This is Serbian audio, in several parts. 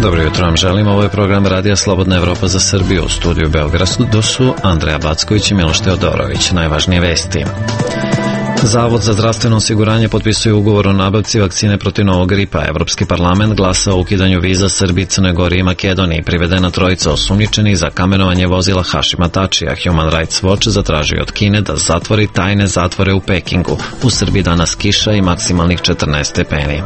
Dobro jutro vam želim, ovo je program Radija Slobodna Evropa za Srbiju. U studiju Beogradu su Andreja Backović i Miloš Teodorović. Najvažnije vesti. Zavod za zdravstveno osiguranje potpisuje ugovor o nabavci vakcine protiv novog gripa. Evropski parlament glasa o ukidanju viza Srbiji, Crnoj Gori i Makedoniji. Privedena trojica osumnjičenih za kamenovanje vozila Hašima Tačija. Human Rights Watch zatražio od Kine da zatvori tajne zatvore u Pekingu. U Srbiji danas kiša i maksimalnih 14 stepeni.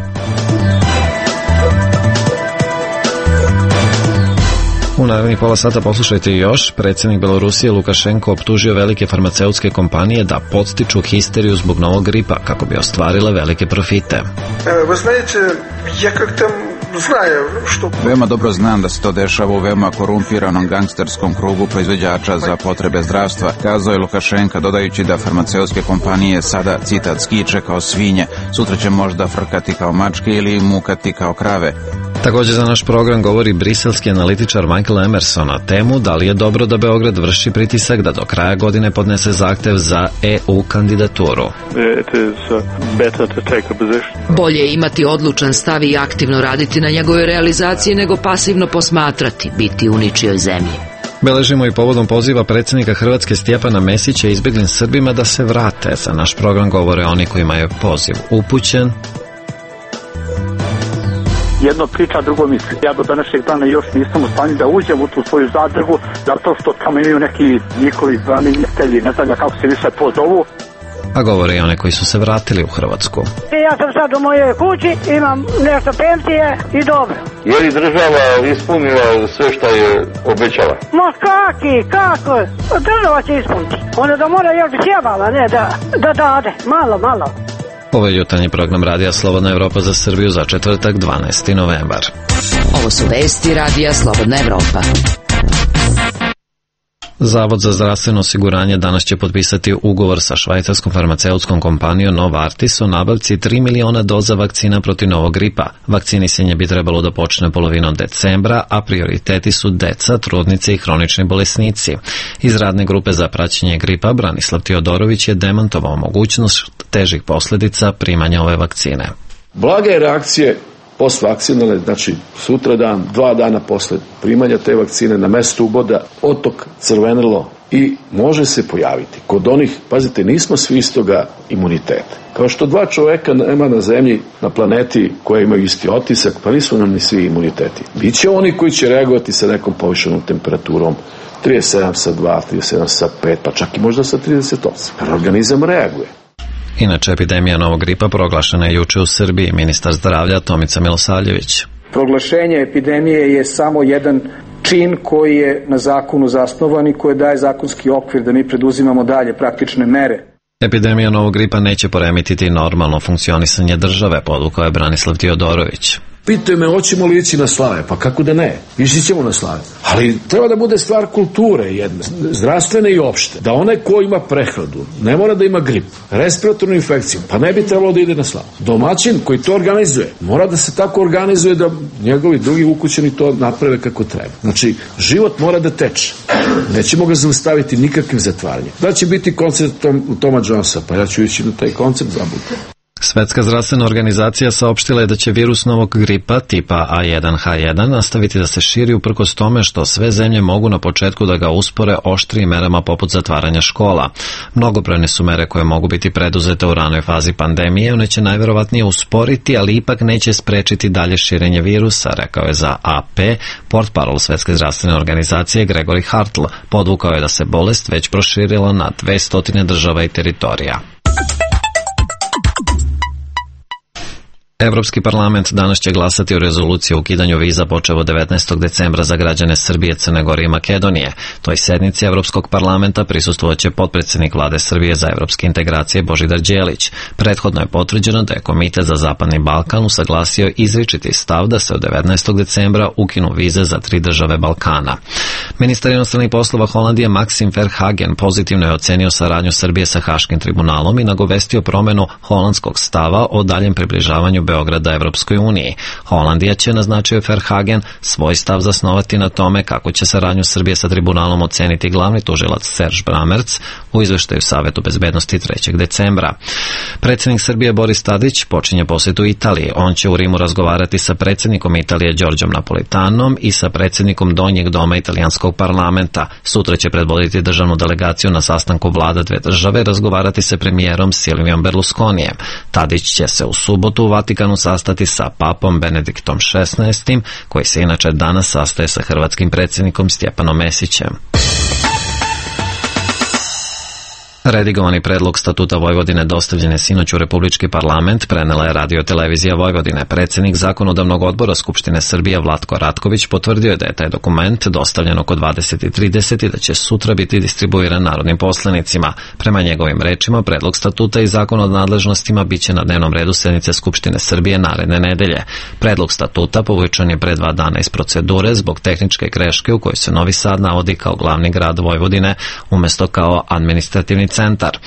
U narednih pola sata poslušajte još. Predsjednik Belorusije Lukašenko optužio velike farmaceutske kompanije da podstiču histeriju zbog novog gripa kako bi ostvarile velike profite. Veoma dobro znam da se to dešava u veoma korumpiranom gangsterskom krugu proizvođača za potrebe zdravstva, kazao je Lukašenka, dodajući da farmaceutske kompanije sada, citat, skiče kao svinje, sutra će možda frkati kao mačke ili mukati kao krave. Također za naš program govori briselski analitičar Michael Emerson na temu da li je dobro da Beograd vrši pritisak da do kraja godine podnese zahtev za EU kandidaturu. Bolje je imati odlučan stav i aktivno raditi na njegove realizaciji nego pasivno posmatrati, biti u ničijoj zemlji. Beležimo i povodom poziva predsjednika Hrvatske Stjepana Mesića izbjeglim Srbima da se vrate. Za naš program govore oni kojima je poziv upućen. Jedno priča, drugo misli. Ja do današnjeg dana još nisam u stanju da uđem u tu svoju zadrugu, zato što tamo imaju neki njihovi branitelji, ne znam kako se više pozovu. A govore i one koji su se vratili u Hrvatsku. Ja sam sad u mojoj kući, imam nešto penzije i dobro. Je li država ispunila sve što je obećala? Ma kako? Država će ispuniti. Onda da mora još bi sjebala, ne, da dade, malo. Ovo je jutarnji program Radija Slobodna Evropa za Srbiju za četvrtak 12. novembar. Ovo su vesti Radija Slobodna Evropa. Zavod za zdravstveno osiguranje danas će potpisati ugovor sa švajcarskom farmaceutskom kompanijom Novartis o nabavci 3 miliona doza vakcina protiv novog gripa. Vakcinisanje bi trebalo da počne polovinom decembra, a prioriteti su deca, trudnice i hronični bolesnici. Iz radne grupe za praćenje gripa Branislav Teodorović je demantovao mogućnost težih posljedica primanja ove vakcine. Blage reakcije postvakcinalne, znači sutradan, 2 dana posle primanja te vakcine na mestu uboda, otok, crvenilo i može se pojaviti. Kod onih, pazite, nismo svi istoga imuniteta. Kao što 2 čoveka nema na zemlji, na planeti koje imaju isti otisak, pa nisu nam ni svi imuniteti. Biće oni koji će reagovati sa nekom povišenom temperaturom 37 sa 2, 37 sa 5, pa čak i možda sa 38. Jer organizam reaguje. Inače, epidemija novog gripa proglašena je juče u Srbiji. Ministar zdravlja Tomica Milosavljević. Proglašenje epidemije je samo jedan čin koji je na zakonu zasnovan i koji daje zakonski okvir da mi preduzimamo dalje praktične mere. Epidemija novog gripa neće poremetiti normalno funkcionisanje države, podvukao je Branislav Teodorović. Pitaju me, hoćemo li ići na slave? Pa kako da ne? Ići ćemo na slave. Ali treba da bude stvar kulture jedne, zdravstvene i opšte. Da onaj ko ima prehladu, ne mora da ima grip, respiratornu infekciju, pa ne bi trebalo da ide na slavu. Domaćin koji to organizuje, mora da se tako organizuje da njegovi drugi ukućeni to naprave kako treba. Znači, život mora da teče. Nećemo ga zaustaviti nikakvim zatvaranjem. Da će biti koncert Toma Jonesa, pa ja ću ići na taj koncert zabudu. Svetska zdravstvena organizacija saopštila je da će virus novog gripa tipa A1H1 nastaviti da se širi uprkos tome što sve zemlje mogu na početku da ga uspore oštrijim merama poput zatvaranja škola. Mnogobrojne su mere koje mogu biti preduzete u ranoj fazi pandemije, one će najverovatnije usporiti, ali ipak neće sprečiti dalje širenje virusa, rekao je za AP portparol Svetske zdravstvene organizacije Gregory Hartl. Podvukao je da se bolest već proširila na 200 država i teritorija. Evropski parlament danas će glasati o rezoluciji o ukidanju viza počev od 19. decembra za građane Srbije, Crne Gore i Makedonije. Toj sednici Evropskog parlamenta prisustvovat potpredsjednik vlade Srbije za evropske integracije Božidar Đelić. Prethodno je potvrđeno da je Komitet za Zapadni Balkan usaglasio izričiti stav da se od 19. decembra ukinu vize za 3 države Balkana. Ministar inostranih poslova Holandije Maxim Verhagen pozitivno je ocenio saradnju Srbije sa Haškim tribunalom i nagovestio promenu holandskog stava o daljem približavanju Beograda Evropskoj uniji. Holandija će, naznačio Verhagen, svoj stav zasnovati na tome kako će saradnju Srbije sa tribunalom oceniti glavni tužilac Serge Brammertz u izveštaju Savetu bezbednosti 3. decembra. Predsjednik Srbije Boris Tadić počinje posjetu Italiji. On će u Rimu razgovarati sa predsjednikom Italije Đorđom Napolitanom i sa predsjednikom Donjeg doma italijanskog parlamenta. Sutra će predvoditi državnu delegaciju na sastanku vlada dve države, razgovarati sa premijerom Silvijom Berlusconijem. Tadić će se u subotu u Vatikanu sastati sa papom Benediktom XVI, koji se inače danas sastaje sa hrvatskim predsjednikom Stjepanom Mesićem. Redigovani predlog statuta Vojvodine dostavljen je sinoć u Republički parlament, prenela je Radio-televizija Vojvodine. Predsjednik Zakonodavnog odbora Skupštine Srbije Vlatko Ratković potvrdio je da je taj dokument dostavljen oko 20:30 i da će sutra biti distribuiran narodnim poslanicima. Prema njegovim rečima, predlog statuta i zakon o nadležnostima biće na dnevnom redu sednice Skupštine Srbije naredne nedelje. Predlog statuta povučen je pre 2 dana iz procedure zbog tehničke greške u kojoj se Novi Sad navodi kao glavni grad Vojvodine umesto kao administrativni centar.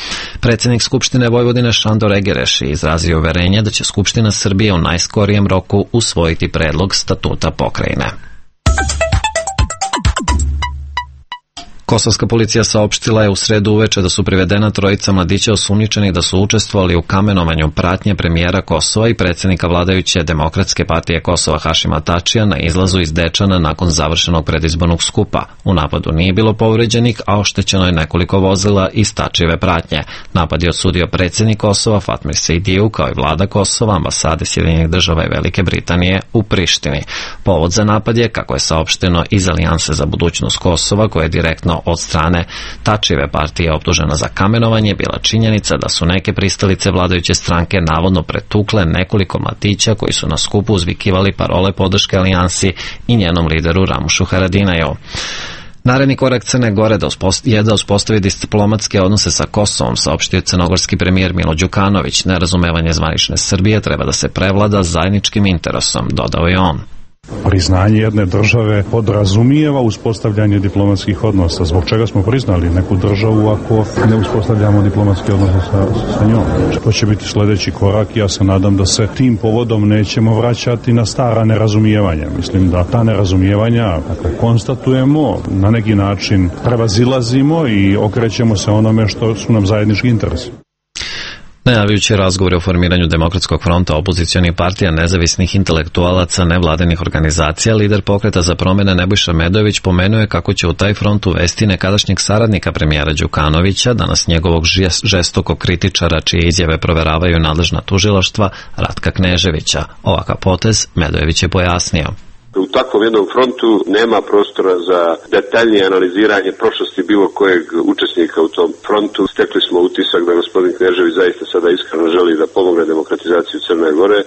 Predsjednik Skupštine Vojvodine Šandor Egereš je izrazio uverenje da će Skupština Srbije u najskorijem roku usvojiti predlog statuta pokrajine. Kosovska policija saopštila je u sredu uveče da su privedena trojica mladića osumnjičenih da su učestvovali u kamenovanju pratnje premijera Kosova i predsjednika vladajuće Demokratske partije Kosova Hašima Tačija na izlazu iz Dečana nakon završenog predizbornog skupa. U napadu nije bilo povređenih, a oštećeno je nekoliko vozila iz Tačijeve pratnje. Napad je osudio predsjednik Kosova Fatmir Sejdiju kao i vlada Kosova, ambasade Sjedinjenih Država i Velike Britanije u Prištini. Povod za napad je, kako je saopšteno iz Alijanse za budućnost Kosova, koja je direktno od strane Tačijeve partije optužena za kamenovanje, bila činjenica da su neke pristalice vladajuće stranke navodno pretukle nekoliko mladića koji su na skupu uzvikivali parole podrške Alijansi i njenom lideru Ramušu Haradinaju. Naredni korak Crne Gore je da uspostavi diplomatske odnose sa Kosovom, saopštio crnogorski premijer Milo Đukanović. Nerazumevanje zvanične Srbije treba da se prevlada zajedničkim interesom, dodao je on. Priznanje jedne države podrazumijeva uspostavljanje diplomatskih odnosa. Zbog čega smo priznali neku državu ako ne uspostavljamo diplomatske odnose sa njom? To će biti sljedeći korak. Ja se nadam da se tim povodom nećemo vraćati na stara nerazumijevanja. Mislim da ta nerazumijevanja konstatujemo, na neki način prevazilazimo i okrećemo se onome što su nam zajednički interesi. Najavljujući razgovore o formiranju Demokratskog fronta, opozicionih partija, nezavisnih intelektualaca, nevladinih organizacija, lider Pokreta za promjene Nebojša Medojević pomenuo je kako će u taj front uvesti nekadašnjeg saradnika premijera Đukanovića, danas njegovog žestokog kritičara čije izjave proveravaju nadležna tužilaštva, Ratka Kneževića. Ovakav potez Medojević je pojasnio. U takvom jednom frontu nema prostora za detaljnije analiziranje prošlosti bilo kojeg učesnika u tom frontu. Stekli smo utisak da gospodin Knežević zaista sada iskreno želi da pomogne demokratizaciju Crne Gore.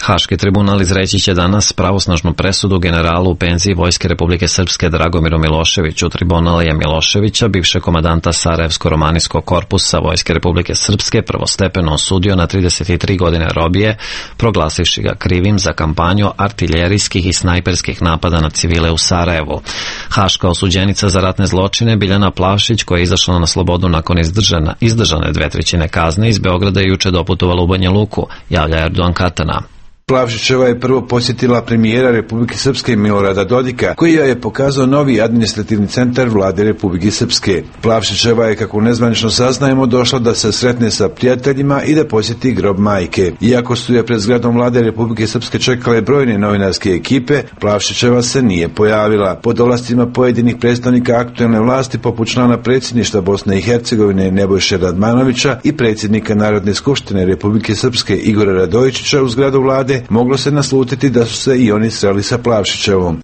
Haški tribunal izreći će danas pravosnažnu presudu generalu u penziji Vojske Republike Srpske Dragomiru Miloševiću. Tribunal je Miloševića, bivšeg komandanta Sarajevsko-romanijskog korpusa Vojske Republike Srpske, prvostepeno osudio na 33 godine robije, proglasivši ga krivim za kampanju artiljerijskih i snajperskih napada na civile u Sarajevu. Haška osuđenica za ratne zločine Biljana Plavšić, koja je izašla na slobodu nakon izdržane 2/3 kazne, iz Beograda je juče doputovala u Banja Luku, javlja Erdogan Katana. Plavšićeva je prvo posjetila premijera Republike Srpske Milorada Dodika, koji je pokazao novi administrativni centar vlade Republike Srpske. Plavšićeva je, kako nezvanično saznajemo, došla da se sretne sa prijateljima i da posjeti grob majke. Iako su je pred zgradom vlade Republike Srpske čekale brojne novinarske ekipe, Plavšićeva se nije pojavila. Pod ovlastima pojedinih predstavnika aktuelne vlasti, poput člana predsjedništva Bosne i Hercegovine Nebojše Radmanovića i predsjednika Narodne skupštine Republike Srpske Igora Radojičića u zgradu vlade, moglo se naslutiti da su se i oni sreli sa Plavšićevom.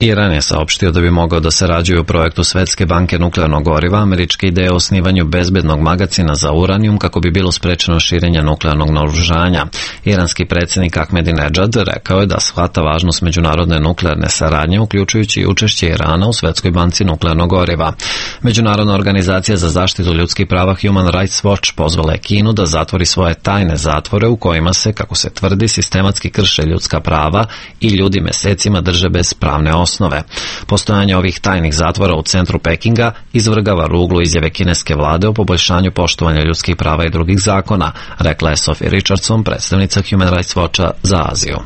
Iran je saopštio da bi mogao da sarađuje u projektu Svetske banke nuklearnog goriva, američke ideje o osnivanju bezbednog magacina za uranijum kako bi bilo sprečeno širenje nuklearnog naoružanja. Iranski predsjednik Ahmedinedžad rekao je da shvata važnost međunarodne nuklearne saradnje, uključujući i učešće Irana u Svetskoj banci nuklearnog goriva. Međunarodna organizacija za zaštitu ljudskih prava Human Rights Watch pozvala je Kinu da zatvori svoje tajne zatvore u kojima se, kako se tvrdi, sistematski krše ljudska prava i ljudi mesecima drže bez pravne osnove. osnove. Postojanje ovih tajnih zatvora u centru Pekinga izvrgava ruglu izjave kineske vlade o poboljšanju poštovanja ljudskih prava i drugih zakona, rekla je Sophie Richardson, predstavnica Human Rights Watcha za Aziju.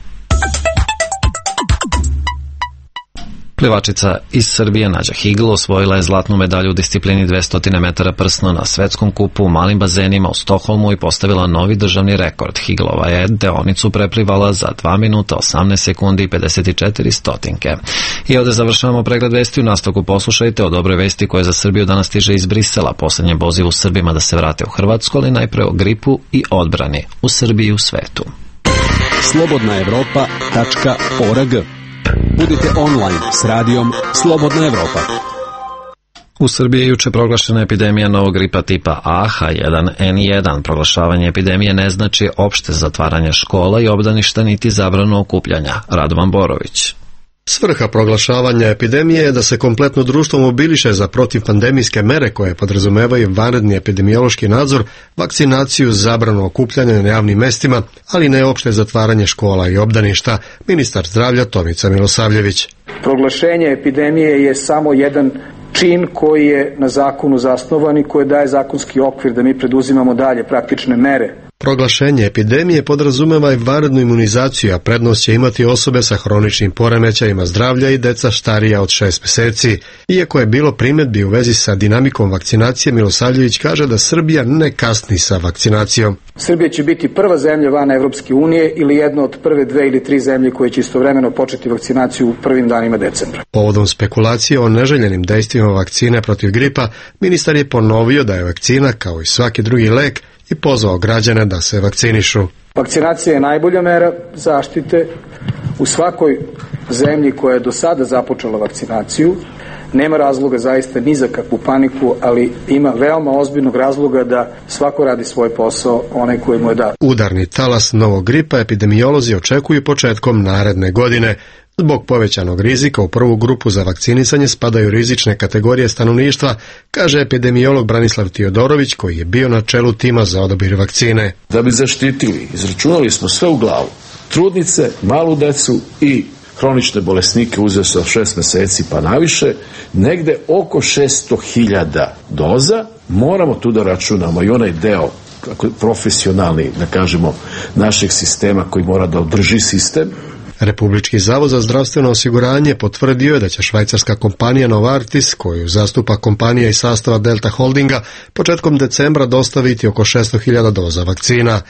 Plivačica iz Srbije Nađa Higl osvojila je zlatnu medalju u disciplini 200 metara prsno na svetskom kupu u malim bazenima u Stokholmu i postavila novi državni rekord. Higlova je deonicu preplivala za 2 minuta 18 sekundi i 54 stotinke. I ovdje završavamo pregled vesti. U nastavku poslušajte o dobroj vesti koja za Srbiju danas stiže iz Brisela. Poslednje poziv u Srbima da se vrate u Hrvatsku, ali najpre o gripu i odbrani u Srbiji i u svetu. slobodnaevropa.org. Budite online s radijom Slobodna Evropa. U Srbiji je juče proglašena epidemija novog gripa tipa A H1N1. Proglašavanje epidemije ne znači opšte zatvaranje škola i obdaništa niti zabranu okupljanja. Radovan Borović. Svrha proglašavanja epidemije je da se kompletno društvo mobiliše za protivpandemijske mere koje podrazumevaju vanredni epidemiološki nadzor, vakcinaciju, zabranu okupljanja na javnim mestima, ali ne opšte zatvaranje škola i obdaništa. Ministar zdravlja Tomica Milosavljević. Proglašenje epidemije je samo jedan čin koji je na zakonu zasnovan i koji daje zakonski okvir da mi preduzimamo dalje praktične mere. Proglašenje epidemije podrazumeva i vanrednu imunizaciju, a prednost će imati osobe sa hroničnim poremećajima zdravlja i deca starija od 6 meseci. Iako je bilo primjedbi u vezi sa dinamikom vakcinacije, Milosavljević kaže da Srbija ne kasni sa vakcinacijom. Srbija će biti prva zemlja van Evropske unije ili jedna od prve 2 ili 3 zemlje koje će istovremeno početi vakcinaciju u prvim danima decembra. Povodom spekulacije o neželjenim dejstvima vakcine protiv gripa, ministar je ponovio da je vakcina, kao i svaki drugi lek, i pozvao građane da se vakcinišu. Vakcinacija je najbolja mera zaštite. U svakoj zemlji koja je do sada započela vakcinaciju nema razloga zaista ni za kakvu paniku, ali ima veoma ozbiljnog razloga da svako radi svoj posao, onaj koji mu je dat. Udarni talas novog gripa epidemiolozi očekuju početkom naredne godine. Zbog povećanog rizika u prvu grupu za vakcinisanje spadaju rizične kategorije stanovništva, kaže epidemiolog Branislav Tiodorović, koji je bio na čelu tima za odabir vakcine. Da bi zaštitili, izračunali smo sve u glavu. Trudnice, malu decu i hronične bolesnike uzeo sa 6 meseci pa naviše, negde oko 600.000 doza. Moramo tu da računamo i onaj deo profesionalni, da kažemo, našeg sistema koji mora da održi sistem. Republički zavod za zdravstveno osiguranje potvrdio je da će švajcarska kompanija Novartis, koju zastupa kompanija iz sastava Delta Holdinga, početkom decembra dostaviti oko 600.000 doza vakcina.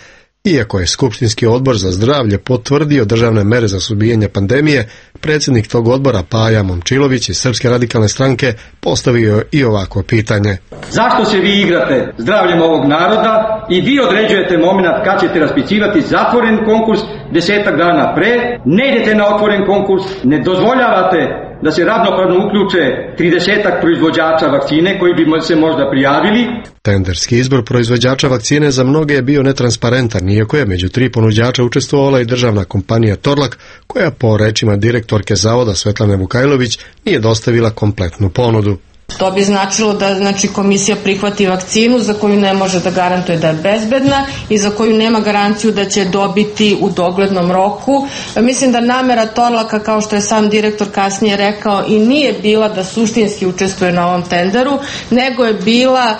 Iako je Skupštinski odbor za zdravlje potvrdio državne mere za suzbijanje pandemije, predsjednik tog odbora Paja Momčilović iz Srpske radikalne stranke postavio i ovako pitanje. Zašto se vi igrate zdravljem ovog naroda i vi određujete moment kad ćete raspisivati zatvoren konkurs 10 dana pre, ne idete na otvoren konkurs, ne dozvoljavate da se ravnopravno uključe 30 proizvođača vakcine koji bi se možda prijavili. Tenderski izbor proizvođača vakcine za mnoge je bio netransparentan, iako je među 3 ponuđača učestvovala i državna kompanija Torlak, koja po rečima direktorke zavoda Svetlane Vukajlović nije dostavila kompletnu ponudu. To bi značilo da komisija prihvati vakcinu za koju ne može da garantuje da je bezbedna i za koju nema garanciju da će dobiti u doglednom roku. Mislim da namera Torlaka, kao što je sam direktor kasnije rekao, i nije bila da suštinski učestvuje na ovom tenderu, nego je bila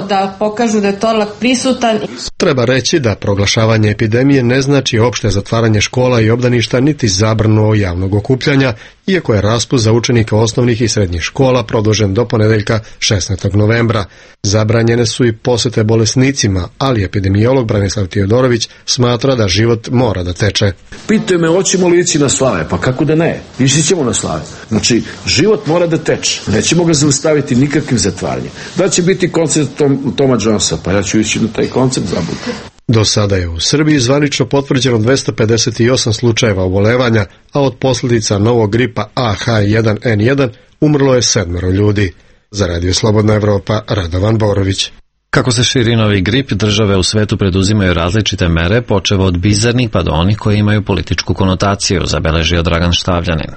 da pokažu da je Torlak prisutan. Treba reći da proglašavanje epidemije ne znači opšte zatvaranje škola i obdaništa niti zabranu javnog okupljanja, iako je raspust za učenika osnovnih i srednjih škola produžen do ponedeljka 16. novembra. Zabranjene su i posete bolesnicima, ali epidemiolog Branislav Tiodorović smatra da život mora da teče. Pitaju me, hoćemo li ići na slave? Pa kako da ne? Ići ćemo na slave. Znači, život mora da teče. Nećemo ga zaustaviti nikakvim zatvaranjem. Da će biti koncert Toma Jonesa, pa ja ću ići na taj koncert zabuti. Do sada je u Srbiji zvanično potvrđeno 258 slučajeva obolevanja, a od posljedica novog gripa AH1N1 umrlo je 7 ljudi. Za Radio Slobodna Evropa, Radovan Borović. Kako se širi novi grip, države u svetu preduzimaju različite mere, počev od bizarnih pa do onih koji imaju političku konotaciju, zabeležio Dragan Štavljanin.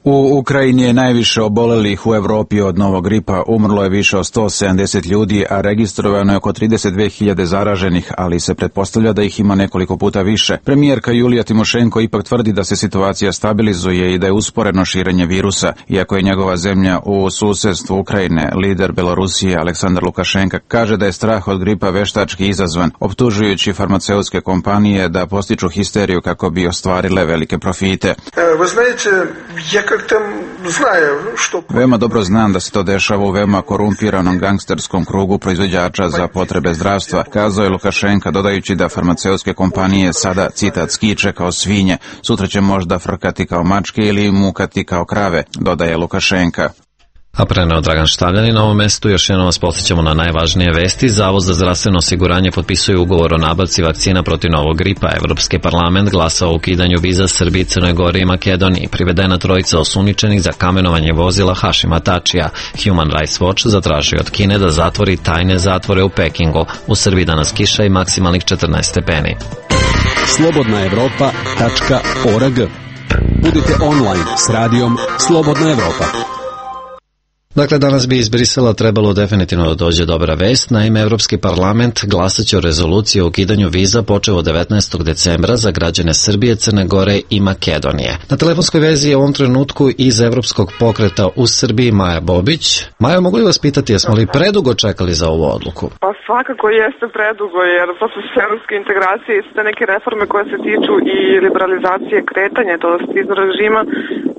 U Ukrajini je najviše obolelih u Evropi od novog gripa, umrlo je više od 170 ljudi, a registrovano je oko 32.000 zaraženih, ali se pretpostavlja da ih ima nekoliko puta više. Premijerka Julija Timošenko ipak tvrdi da se situacija stabilizuje i da je usporeno širenje virusa, iako je njegova zemlja u susedstvu Ukrajine. Lider Belorusije Aleksandar Lukašenka kaže da je strah od gripa veštački izazvan, optužujući farmaceutske kompanije da postiču histeriju kako bi ostvarile velike profite. Veoma dobro znam da se to dešava u veoma korumpiranom gangsterskom krugu proizvođača za potrebe zdravstva, kazao je Lukašenka, dodajući da farmaceutske kompanije sada, citat, skiče kao svinje, sutra će možda frkati kao mačke ili mukati kao krave, dodaje Lukašenka. A preneo Dragan Štavljanin na ovom mestu. Još jednom vas podsjećamo na najvažnije vesti. Zavod za zdravstveno osiguranje potpisuje ugovor o nabavci vakcina protiv novog gripa. Evropski parlament glasa o ukidanju viza Srbiji, Crnoj Gori i Makedoniji. Privedena trojica osumnjičenih za kamenovanje vozila Hašima Tačija. Human Rights Watch zatražio od Kine da zatvori tajne zatvore u Pekingu. U Srbiji danas kiša i maksimalnih 14 stepeni. slobodnaevropa.org. Budite online s radijom Slobodna Evropa. Dakle, danas bi iz Brisela trebalo definitivno da dođe dobra vest. Naime, Evropski parlament glasaće o rezoluciji o ukidanju viza počev od 19. decembra za građane Srbije, Crne Gore i Makedonije. Na telefonskoj vezi je u ovom trenutku iz Evropskog pokreta u Srbiji Maja Bobić. Maja, mogu li vas pitati, jesmo li predugo čekali za ovu odluku? Pa svakako jeste predugo, jer proces evropske integracije i sve neke reforme koje se tiču i liberalizacije kretanja, to izbor režima,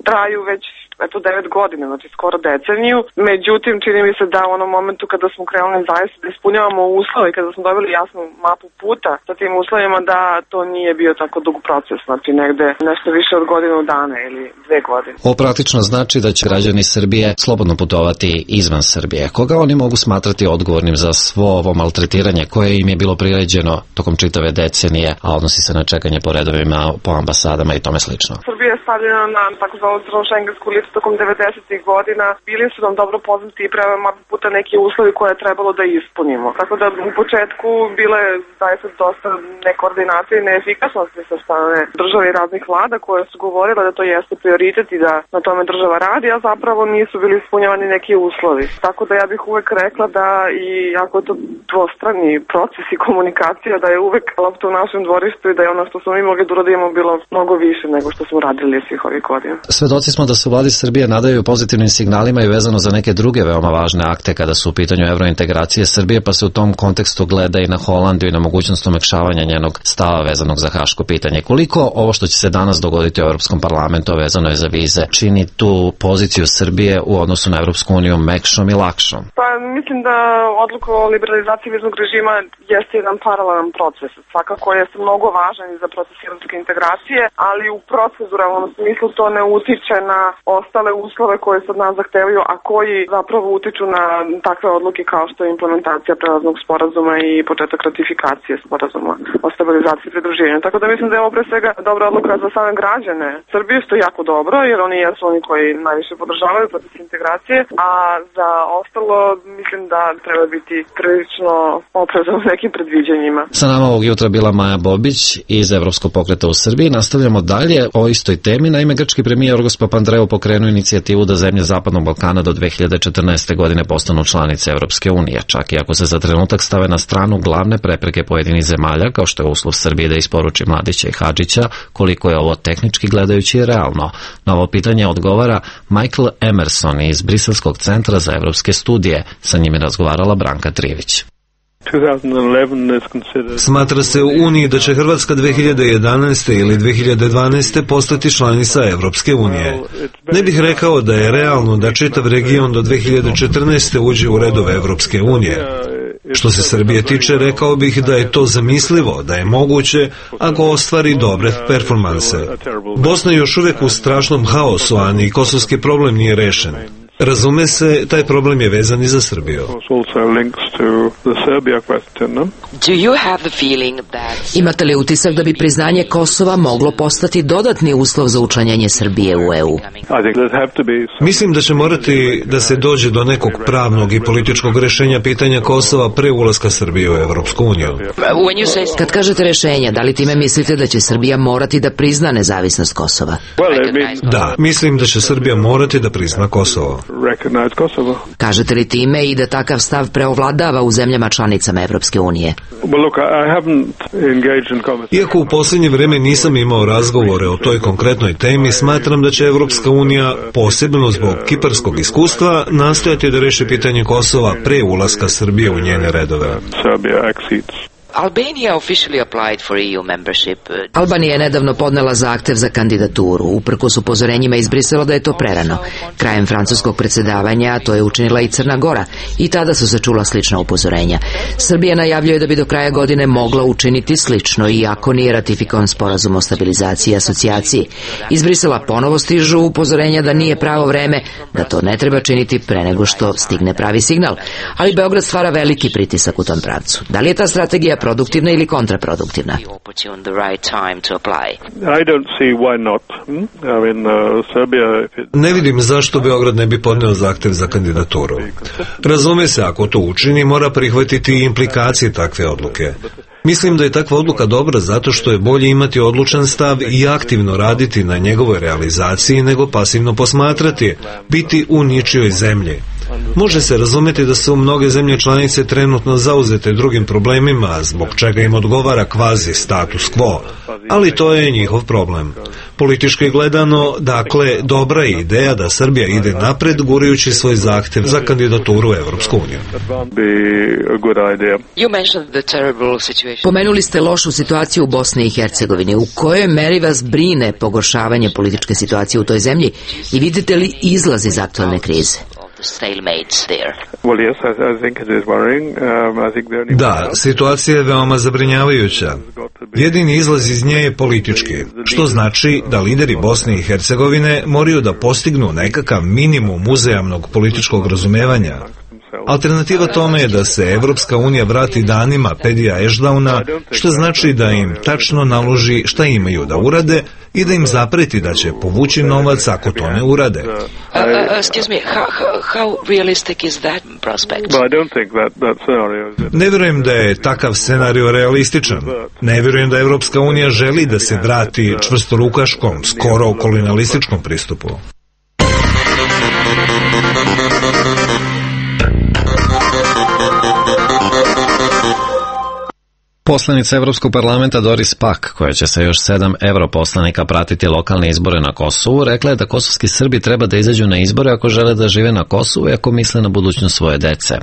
traju već 9 godina, znači skoro deceniju. Međutim, čini mi se da u onom momentu kada smo krenuli zaista da ispunjavamo uslove i kada smo dobili jasnu mapu puta sa tim uslovima, da to nije bio tako dug proces, znači negde nešto više od godinu dana ili 2 godine. Ovo praktično znači da će građani Srbije slobodno putovati izvan Srbije. Koga oni mogu smatrati odgovornim za svo ovo maltretiranje koje im je bilo priređeno tokom čitave decenije, a odnosi se na čekanje po redovima, po ambasadama i tome slično? Srbija je stavljena na takozvanu crno-šengensku listu tokom 90. godina. Bili su nam dobro poznati i prema mapu puta neki uslovi koje je trebalo da ispunimo. Tako da u početku bile zaista dosta nekoordinacije i neefikasnosti sa strane države i raznih vlada koje su govorile da to jeste prioritet i da na tome država radi, a zapravo nisu bili ispunjavani neki uslovi. Tako da ja bih uvek rekla da i ako je to dvostrani proces i komunikacija, da je uvek lopta u našem dvorištu i da je ono što smo mi mogli da uradimo bilo mnogo više nego što smo radili svih ovih godina. Svedoci smo da se u vladi Srbije nadaju pozitivnim signalima i vezano za neke druge veoma važne akte kada su u pitanju evrointegracije Srbije, pa se u tom kontekstu gleda i na Holandiju i na mogućnost omekšavanja njenog stava vezanog za haško pitanje. Koliko ovo što će se danas dogoditi u Evropskom parlamentu vezano je za vize čini tu poziciju Srbije u odnosu na Evropsku uniju mekšom i lakšom? Pa mislim da odluka o liberalizaciji viznog režima jeste jedan paralelan proces. Svakako jeste mnogo važan i za proces evropske integracije, ali u proceduralnom smislu to ne utiče na ostale uslove koje se od nas zahtevaju, a koji zapravo utiču na takve odluke kao što je implementacija prelaznog sporazuma i početak ratifikacije sporazuma o stabilizaciji i pridruživanju. Tako da mislim da je ovo pre svega dobra odluka za same građane Srbije, što je jako dobro, jer oni jesu oni koji najviše podržavaju proces integracije, a za ostalo mislim da treba biti prilično oprezan u nekim predviđanjima. Sa nama ovog jutra bila Maja Bobić iz Evropskog pokreta u Srbiji. Nastavljamo dalje o istoj temi. Naime, grčki premijer Jorgos Papandreou pokrenuo inicijativu da zemlje Zapadnog Balkana do 2014. godine postanu članice Evropske unije, čak i ako se za trenutak stave na stranu glavne prepreke pojedinih zemalja, kao što je uslov Srbije da isporuči Mladića i Hadžića, koliko je ovo tehnički gledajući realno. Na ovo pitanje odgovara Michael Emerson iz Briselskog centra za evropske studije. Sa njim je razgovarala Branka Trivić. Smatra se u Uniji da će Hrvatska 2011. ili 2012. postati članica Evropske unije. Ne bih rekao da je realno da čitav region do 2014. uđe u redove Evropske unije. Što se Srbije tiče, rekao bih da je to zamislivo, da je moguće ako ostvari dobre performanse. Bosna je još uvijek u strašnom haosu, a ni kosovski problem nije rešen. Razume se, taj problem je vezan i za Srbiju. Imate li utisak da bi priznanje Kosova moglo postati dodatni uslov za učlanjenje Srbije u EU? Mislim da će morati da se dođe do nekog pravnog i političkog rešenja pitanja Kosova pre ulaska Srbije u Evropsku uniju. Kad kažete rešenja, da li time mislite da će Srbija morati da prizna nezavisnost Kosova? Da, mislim da će Srbija morati da prizna Kosovo. Kažete li time i da takav stav preovladava u zemljama članicama Evropske unije? Iako u posljednje vreme nisam imao razgovore o toj konkretnoj temi, smatram da će Evropska unija, posebno zbog kiparskog iskustva, nastojati da reši pitanje Kosova pre ulaska Srbije u njene redove. Albanija je nedavno podnela zahtev za kandidaturu, uprkos upozorenjima iz Brisela da je to prerano. Krajem francuskog predsjedavanja to je učinila i Crna Gora i tada su se čula slična upozorenja. Srbija najavljuje da bi do kraja godine mogla učiniti slično, iako nije ratifikovan sporazum o stabilizaciji i asocijaciji. Iz Brisela ponovo stižu upozorenja da nije pravo vreme, da to ne treba činiti pre nego što stigne pravi signal. Ali Beograd stvara veliki pritisak u tom pravcu. Da li je ta strategija produktivna ili kontraproduktivna? Ne vidim zašto Beograd ne bi podneo zahtev za kandidaturu. Razume se, ako to učini, mora prihvatiti implikacije takve odluke. Mislim da je takva odluka dobra zato što je bolje imati odlučan stav i aktivno raditi na njegovoj realizaciji nego pasivno posmatrati, biti u ničijoj zemlji. Može se razumeti da su mnoge zemlje članice trenutno zauzete drugim problemima, zbog čega im odgovara kvazi status quo, ali to je njihov problem. Politički gledano, dakle, dobra je ideja da Srbija ide napred gurajući svoj zahtev za kandidaturu u Evropsku uniju. Pomenuli ste lošu situaciju u Bosni i Hercegovini. U kojoj meri vas brine pogoršavanje političke situacije u toj zemlji i vidite li izlaz iz aktualne krize? Da, situacija je veoma zabrinjavajuća. Jedini izlaz iz nje je politički, što znači da lideri Bosne i Hercegovine moraju da postignu nekakav minimum uzajamnog političkog razumevanja. Alternativa tome je da se Evropska unija vrati danima Pedija Ešdauna, što znači da im tačno naloži šta imaju da urade i da im zapreti da će povući novac ako to ne urade. Ne vjerujem da je takav scenario realističan. Ne vjerujem da Evropska unija želi da se vrati čvrstorukaškom, skoro kolonialističkom pristupu. Poslanica Evropskog parlamenta Doris Pack, koja će sa još 7 europoslanika pratiti lokalne izbore na Kosovu, rekla je da kosovski Srbi treba da izađu na izbore ako žele da žive na Kosovu i ako misle na budućnost svoje dece.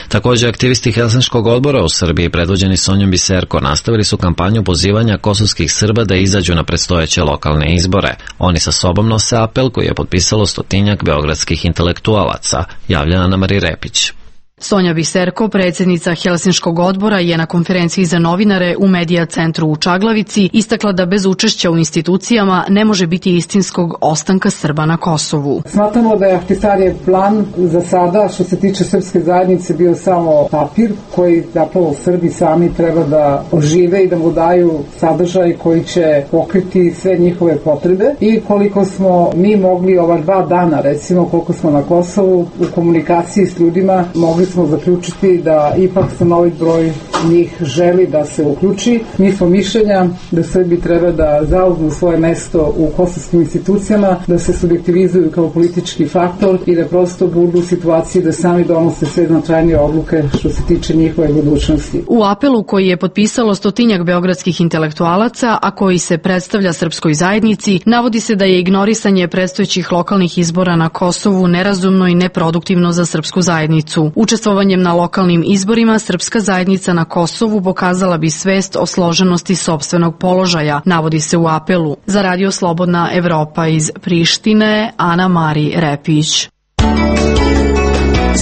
Također, aktivisti Helsinškog odbora u Srbiji, predvođeni Sonjom Biserko, nastavili su kampanju pozivanja kosovskih Srba da izađu na predstojeće lokalne izbore. Oni sa sobom nose apel koji je potpisalo 100-tinjak beogradskih intelektualaca, javlja Ana Marija Repić. Sonja Biserko, predsjednica Helsinškog odbora, je na konferenciji za novinare u Medija centru u Čaglavici istakla da bez učešća u institucijama ne može biti istinskog ostanka Srba na Kosovu. Smatramo da je Ahtisarijev plan za sada, što se tiče srpske zajednice, bio samo papir koji zapravo Srbi sami treba da ožive i da mu daju sadržaj koji će pokriti sve njihove potrebe. I koliko smo mi mogli ova 2 dana, recimo koliko smo na Kosovu, u komunikaciji s ljudima mogli smo zaključiti da ipak stanovit broj njih želi da se uključi. Mi smo mišljenja da Srbi treba da zauzmu svoje mesto u kosovskim institucijama, da se subjektivizuju kao politički faktor i da prosto budu u situaciji da sami donose sve značajnije odluke što se tiče njihove budućnosti. U apelu koji je potpisalo 100-tinjak beogradskih intelektualaca, a koji se predstavlja srpskoj zajednici, navodi se da je ignorisanje predstojećih lokalnih izbora na Kosovu nerazumno i neproduktivno za srpsku zajednicu. Učestvovanjem na lokalnim izborima, srpska zajednica na Kosovu pokazala bi svest o složenosti sopstvenog položaja, navodi se u apelu. Za Radio Slobodna Evropa iz Prištine, Ana Marija Repić.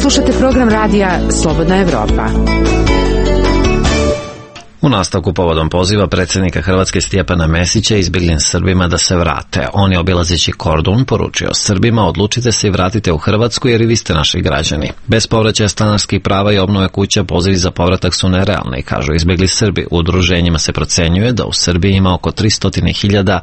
Slušate program radija Slobodna Evropa. U nastavku povodom poziva predsjednika Hrvatske Stjepana Mesića izbjeglim Srbima da se vrate. On je obilazeći Kordun poručio Srbima: odlučite se i vratite u Hrvatsku jer i vi ste naši građani. Bez povraćaja stanarskih prava i obnove kuća pozivi za povratak su nerealni, kažu izbjegli Srbi. U udruženjima se procenjuje da u Srbiji ima oko 300.000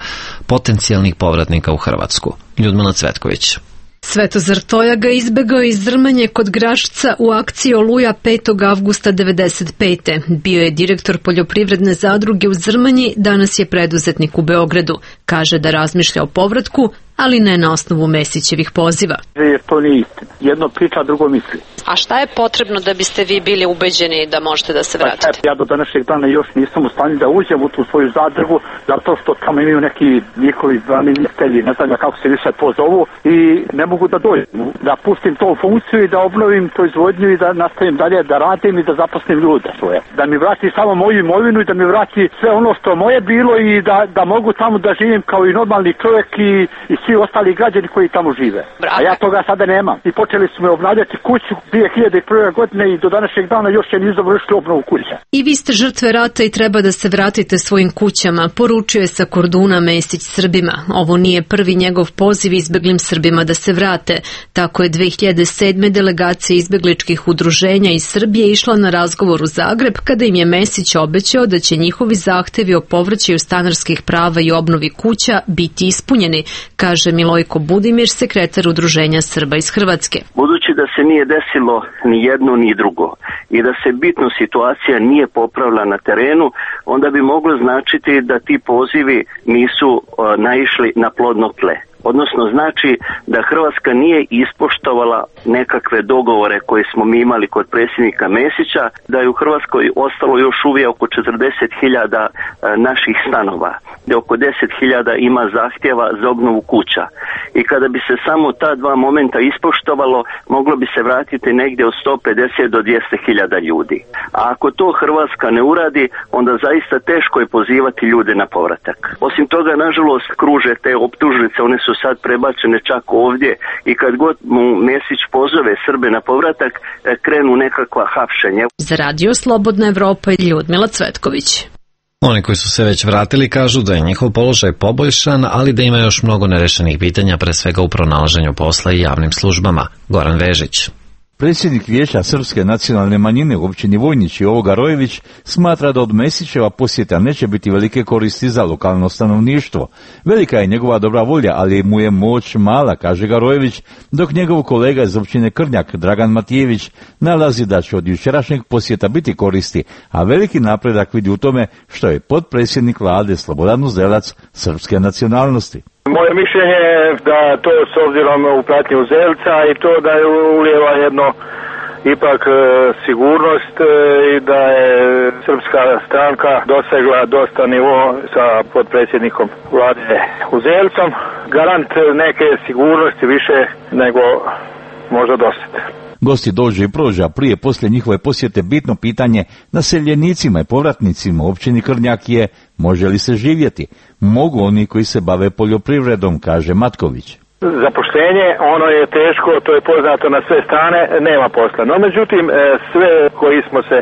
potencijalnih povratnika u Hrvatsku. Ljudmila Cvetković. Svetozar Tojaga izbegao iz Zrmanje kod Grašca u akciji Oluja 5. avgusta 1995. Bio je direktor poljoprivredne zadruge u Zrmanji, danas je preduzetnik u Beogradu. Kaže da razmišlja o povratku, ali ne na osnovu Mesićevih poziva. Jer to nije istina. Jedno priča, drugo misli. A šta je potrebno da biste vi bili ubeđeni da možete da se vratite? Ja do današnjeg dana još nisam u stanju da uđem u tu svoju zadrugu, zato što tamo imaju neki njihovi ministelji, ne znam kako se više pozovu, i ne mogu da dođem. Da pustim to u funkciju i da obnovim proizvodnju i da nastavim dalje da radim i da zaposlim ljude svoje. Da mi vrati samo moju imovinu i da mi vrati sve ono što moje bilo i da mogu tamo da živim kao i normalni čovjek i svi ostali građani koji tamo žive. A ja toga sada nemam. I počeli smo obnavljati kuću 2001. godine i do današnjeg dana još je nisu završili obnovu kuća. I vi ste žrtve rata i treba da se vratite svojim kućama, poručuje sa Korduna Mesić Srbima. Ovo nije prvi njegov poziv izbeglim Srbima da se vrate. Tako je 2007. delegacija izbegličkih udruženja iz Srbije išla na razgovor u Zagreb kada im je Mesić obećao da će njihovi zahtevi o povraćaju stanarskih prava i obnovi kuća biti ispunjeni, kaže Milojko Budimir, sekretar Udruženja Srba iz Hrvatske. Budući da se nije desilo ni jedno ni drugo i da se bitno situacija nije popravila na terenu, onda bi moglo značiti da ti pozivi nisu naišli na plodno tle. Odnosno znači da Hrvatska nije ispoštovala nekakve dogovore koje smo mi imali kod predsjednika Mesića, da je u Hrvatskoj ostalo još uvijek oko 40.000 naših stanova, da oko 10.000 ima zahtjeva za obnovu kuća. I kada bi se samo ta dva momenta ispoštovalo, moglo bi se vratiti negdje od 150 do 200.000 ljudi. A ako to Hrvatska ne uradi, onda zaista teško je pozivati ljude na povratak. Osim toga, nažalost, kruže te optužnice, one su sad prebačene čak ovdje i kad god mu Mesić pozove Srbe na povratak, krenu nekakva hapšenja. Za Radio Slobodna Evropa i Ljudmila Cvetković. Oni koji su se već vratili kažu da je njihov položaj poboljšan, ali da ima još mnogo nerešenih pitanja, pre svega u pronalaženju posla i javnim službama. Goran Vežić. Predsjednik Vijeća srpske nacionalne manjine u općini Vojnić Jovo Garojević smatra da od Mesićeva posjeta neće biti velike koristi za lokalno stanovništvo. Velika je njegova dobra volja, ali mu je moć mala, kaže Garojević, dok njegov kolega iz općine Krnjak, Dragan Matijević, nalazi da će od jučerašnjeg posjeta biti koristi, a veliki napredak vidi u tome što je potpredsjednik vlade Slobodan Uzelac srpske nacionalnosti. Moje mišljenje je da to s obzirom u pratnju Uzelca i to da je ulijeva jedno ipak sigurnost i da je srpska stranka dosegla dosta nivo sa potpredsjednikom vlade Uzelcom. Garant neke sigurnosti više nego možda dosad. Gosti dođu i prođu, a prije poslije njihove posjete bitno pitanje naseljenicima i povratnicima u općini Krnjak je: može li se živjeti? Mogu oni koji se bave poljoprivredom, kaže Matković. Zapošljenje, ono je teško, to je poznato na sve strane, nema posla. No međutim, sve koji smo se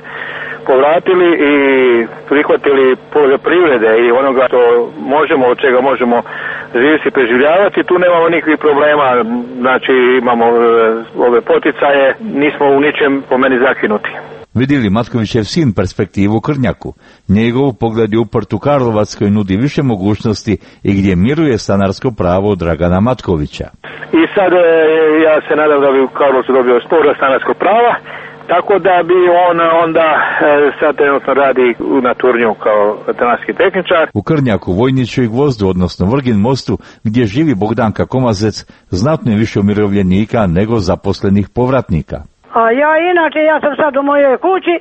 povratili i prihvatili poljoprivrede i onoga što možemo, od čega možemo živjeti i preživljavati, tu nemamo nikakvih problema, znači imamo ove poticaje, nismo u ničem po meni zakinuti. Vidi li Matkovićev sin perspektivu u Krnjaku? Njegov pogled je uprt u Karlovac koji nudi više mogućnosti i gdje miruje stanarsko pravo Dragana Matkovića. I sad ja se nadam da bi u Karlovcu dobio sporo stanarsko prava, tako da bi on onda sad trenutno radi na Turnju kao veterinarski tehničar. U Krnjaku, Vojniću i Gvozdu, odnosno Vrgin mostu, gdje živi Bogdanka Komazec, znatno je više umirovljenika nego zaposlenih povratnika. A ja sam sad u mojoj kući,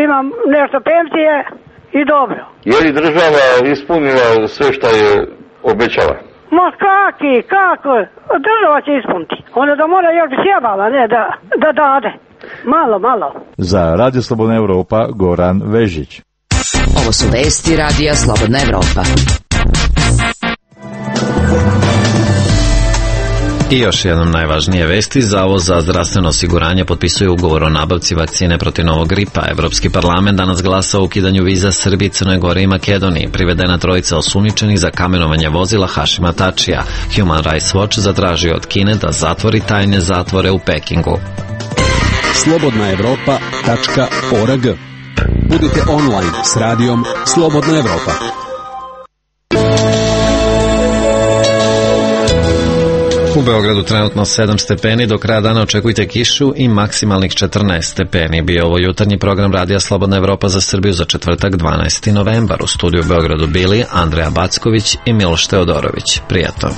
imam nešto penzije i dobro. Je li država ispunila sve što je obećala? Ma kako? Država će ispuniti. Onda da mora još bi sjebala, ne da dade. Malo. Za Radio Slobodna Evropa, Goran Vežić. Ovo su vesti Radija Slobodna Evropa. I još jednom najvažnije vesti, Zavod za zdravstveno osiguranje potpisuje ugovor o nabavci vakcine protiv novog gripa. Evropski parlament danas glasa o ukidanju viza Srbiji, Crnoj Gori i Makedoniji. Privedena trojica osumnjičenih za kamenovanje vozila Hašima Tačija. Human Rights Watch zatražio od Kine da zatvori tajne zatvore u Pekingu. slobodnaevropa.org. Budite online s radijom Slobodna Evropa. U Beogradu trenutno 7 stepeni, do kraja dana očekujte kišu i maksimalnih 14 stepeni. Bio ovo jutarnji program Radija Slobodna Evropa za Srbiju za četvrtak 12. novembar. U studiju u Beogradu bili Andreja Backović i Miloš Teodorović. Prijatno.